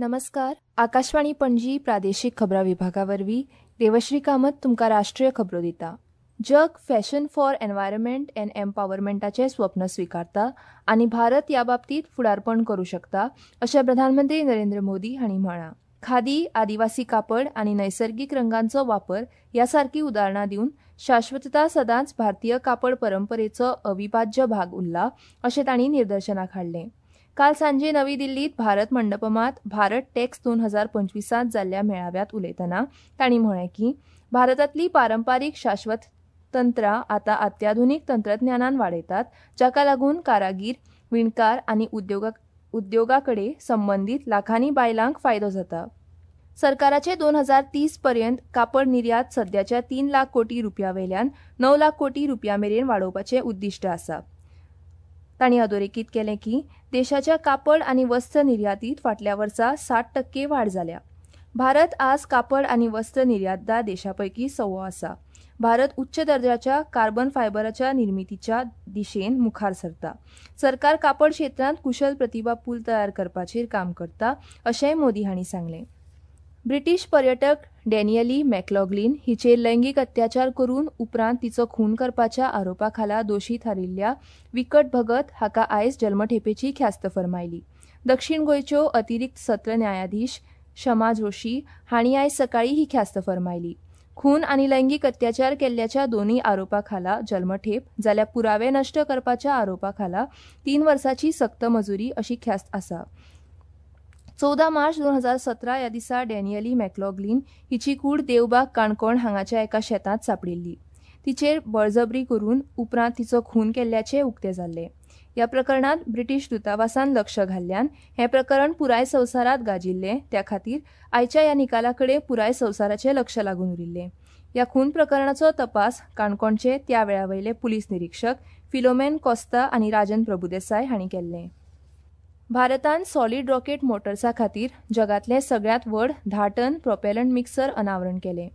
नमस्कार. आकाशवाणी पणजी प्रादेशीक खबरां विभागा वरवीं देवश्री कामत तुमकां राष्ट्रीय खबरो दिता. जग फॅशन फॉर एनवायरमेंट अँड एम्पावरमेंटाचें स्वप्न स्विकारता आनी भारत ह्या बाबतींत फुडारपण करूं शकता अशें प्रधानमंत्री नरेंद्र मोदी हांणी म्हळां. खादी, आदिवासी कापड आनी नैसर्गीक रंगांचो वापर ह्या सारकीं उदाहरणां दिवन शाश्वतता सदांच भारतीय कापड परंपरेचो अविभाज्य भाग उरला अशें तांणी निदर्शनाक हाडलें. काल सांजे नवी दिल्लीत भारत मंडपमात भारत टॅक्स 2025 त जाल्ल्या मेळाव्यात उलयतना तांणी म्हळें की भारतांतली पारंपारीक शाश्वत तंत्रां आतां अत्याधुनीक तंत्रज्ञानान वाडयतात, जाका लागून कारागीर, विणकार आनी उद्योगा कडेन संबंदीत लाखांनी बायलांक फायदो जाता. सरकाराचे 2030 पर्यंत कापड निर्यात सद्याच्या 3 लाख कोटी रुपया वयल्यान 9 लाख कोटी रुपया मेरेन वाडोवपाचें उद्दिश्ट आसा. तांणी अधोरेखीत केलें की देशाच्या कापड आनी वस्त्र निर्यातीत फाटल्या वर्सा 60% वाड जाल्या. भारत आज कापड आनी वस्त्र निर्यातदार देशा पैकी सवो आसा. भारत उच्च दर्जाच्या कार्बन फायबराच्या निर्मितीच्या दिशेन मुखार सरता. सरकार कापड क्षेत्रांत कुशल प्रतिभा पूल तयार करपाचेर काम करता अशेंय मोदी हांणी सांगलें. ब्रिटीश पर्यटक डॅनियली मॅकलॉगलीन हिचेर लैंगीक अत्याचार करून उपरांत तिचो खून करपाच्या आरोपा खाला दोशी थारिल्ल्या विकट भगत हाका आयज जल्मठेपेची ख्यास्त फर्मायली. दक्षीण गोंयच्यो अतिरिक्त सत्र न्यायाधीश क्षमा जोशी हांणी आयज सकाळीं ही ख्यास्त फर्मायली. खून आनी लैंगीक अत्याचार केल्ल्याच्या दोनूय आरोपा खाला जल्मठेप जाल्यार पुरावे नश्ट करपाच्या आरोपा खाला 3 वर्साची सक्त मजुरी अशी ख्यास्त आसा. 14 मार्च 2017 ह्या दिसा डॅनियली मॅकलॉगलीन हिची कूड देवबाग काणकोण हांगाच्या एका शेतांत सांपडिल्ली. तिचेर बळजबरी करून उपरांत तिचो खून केल्ल्याचें उक्तें जाल्लें. ह्या प्रकरणांत ब्रिटीश दूतावासान लक्ष घाल्ल्यान हें प्रकरण पुराय संवसारांत गाजिल्लें. त्या खातीर आयच्या ह्या निकाला कडेन पुराय संवसाराचें लक्ष लागून उरिल्लें. ह्या खून प्रकरणाचो तपास काणकोणचे त्या वेळा वयले पुलीस निरिक्षक फिलोमेन कोस्ता आनी राजन प्रभुदेसाय हांणी केल्लें. भारतान सॉलिड रॉकेट मोटर्सा खातीर जगांतलें सगळ्यांत व्हड 10 टन प्रोपेलंट मिक्सर अनावरण केलें.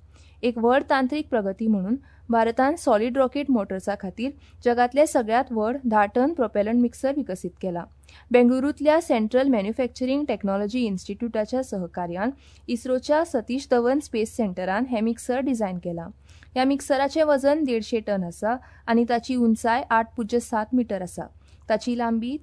एक व्हड तांत्रीक प्रगती म्हणून भारतान सॉलिड रॉकेट मोटर्सा खातीर जगांतलें सगळ्यांत व्हड 10 टन प्रोपेलंट मिक्सर विकसीत केला. बेंगळुरूंतल्या सेंट्रल मॅन्युफॅक्चरींग टॅक्नॉलॉजी इन्स्टिट्यूटाच्या सहकार्यान इस्रोच्या सतीश धवन स्पेस सेंटरान हें मिक्सर डिझायन केलां. ह्या मिक्सराचें वजन 150 टन आसा आनी ताची उंचाय 8.7 मीटर आसा. ताची लांबी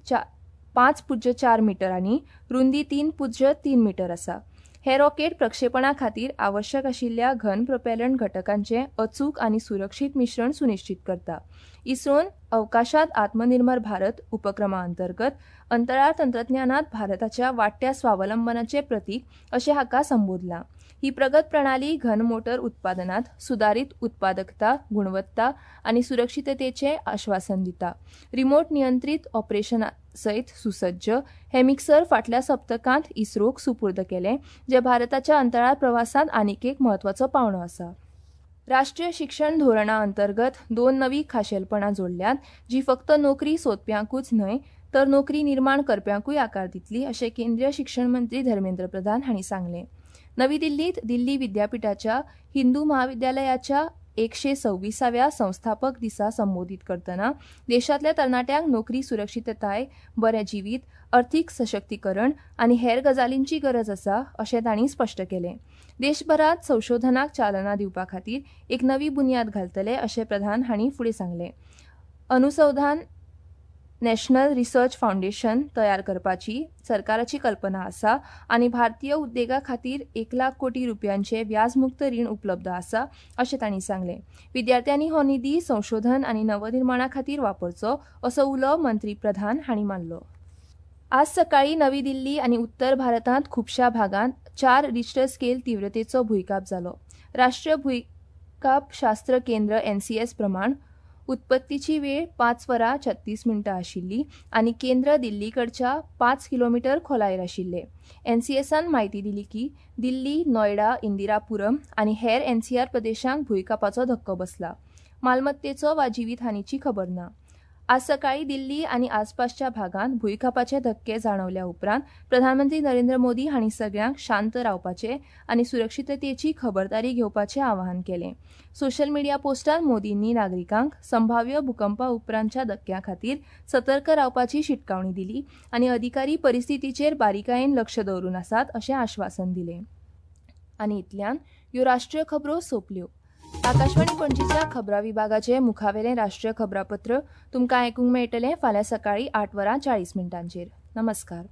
5.4 मीटर आनी रुंदी 3.3 मीटर आसा. हे रॉकेट प्रक्षेपणा खातीर आवश्यक आशिल्ल्या घन प्रोपेलंट घटकांचें अचूक आनी सुरक्षीत मिश्रण सुनिश्चित करता. इस्रोन अवकाशांत आत्मनिर्भर भारत उपक्रमा अंतर्गत अंतराळ तंत्रज्ञानांत भारताच्या वाडट्या स्वावलंबनाचें प्रतीक अशें हाका संबोधलां. ही प्रगत प्रणाली घन मोटर उत्पादनांत सुदारीत उत्पादकता, गुणवत्ता आनी सुरक्षिततेचें आश्वासन दिता. रिमोट नियंत्रीत ऑपरेशना सयत सुसज्ज हे मिक्सर फाटल्या सप्तकांत इस्रोक सुपूर्द केलें, जें भारताच्या अंतराळ प्रवासांत आनीक एक म्हत्वाचो पावंडो आसा. राष्ट्रीय शिक्षण धोरणा अंतर्गत 2 नवी खाशेलपणां जोडल्यांत, जी फक्त नोकरी सोदप्यांकूच न्हय तर नोकरी निर्माण करप्यांकूय आकार दितली अशें केंद्रीय शिक्षण मंत्री धर्मेंद्र प्रधान हांणी सांगलें. नवी दिल्लीत दिल्ली विद्यापिठाच्या हिंदू महाविद्यालयाच्या 126व्या संस्थापक दिसा संबोधीत करतना देशांतल्या तरणाट्यांक नोकरी सुरक्षितताय, बरें जिवीत, अर्थीक सशक्तीकरण आनी हेर गजालींची गरज आसा अशें तांणी स्पश्ट केलें. देशभरांत संशोधनाक चालना दिवपा खातीर एक नवी बुन्याद घालतले अशें प्रधान हांणी फुडें सांगलें. अनुसंधान नॅशनल रिसर्च फावंडेशन तयार करपाची सरकाराची कल्पना आसा आनी भारतीय उद्देगा खातीर 1 लाख कोटी रुपयांचे व्याजमुक्त रीण उपलब्ध आसा अशें तांणी सांगलें. विद्यार्थ्यांनी हो निधी संशोधन आनी नवनिर्माणा खातीर वापरचो असो उलो मंत्री प्रधान हांणी मारलो. आज सकाळीं नवी दिल्ली आनी उत्तर भारतांत खुबश्या भागांत 4 रिश्टर स्केल तीव्रतेचो भुंयकांप जालो. राष्ट्रीय भुंयकांप शास्त्र केंद्र एनसीएस प्रमाण उत्पत्तीची वेळ 5:36 आशिल्ली आनी केंद्र दिल्लीकडच्या 5 किलोमीटर खोलायेर आशिल्ले. एनसीएसान म्हायती दिली की दिल्ली, नोयडा, इंदिरापुरम आनी हेर एनसीआर प्रदेशांक भुंयकांपाचो धक्को बसला. मालमत्तेचो वा जिवीतहानीची खबर ना. आज सकाळी दिल्ली आनी आसपासच्या भागांत भुंयकांपाचे धक्के जाणवल्या उपरांत प्रधानमंत्री नरेंद्र मोदी हांणी सगळ्यांक शांत रावपाचे आनी सुरक्षिततेची खबरदारी घेवपाचे आवाहन केलें. सोशल मिडिया पोस्टांत मोदींनी नागरिकांक संभाव्य भुकंपा उपरांतच्या धक्क्यां खातीर सतर्क रावपाची शिटकावणी दिली आनी अधिकारी परिस्थितीचेर बारीकायेन लक्ष दवरून आसात अशें आश्वासन दिलें. आनी इतल्यान ह्यो राष्ट्रीय खबरो सोंपल्यो. आकाशवाणी पणजीच्या खबरां विभागाचे मुखावेलें राष्ट्रीय खबरापत्र तुमकां आयकूंक मेळटलें फाल्यां सकाळीं 8 वरां 40 मिनटांचेर. नमस्कार.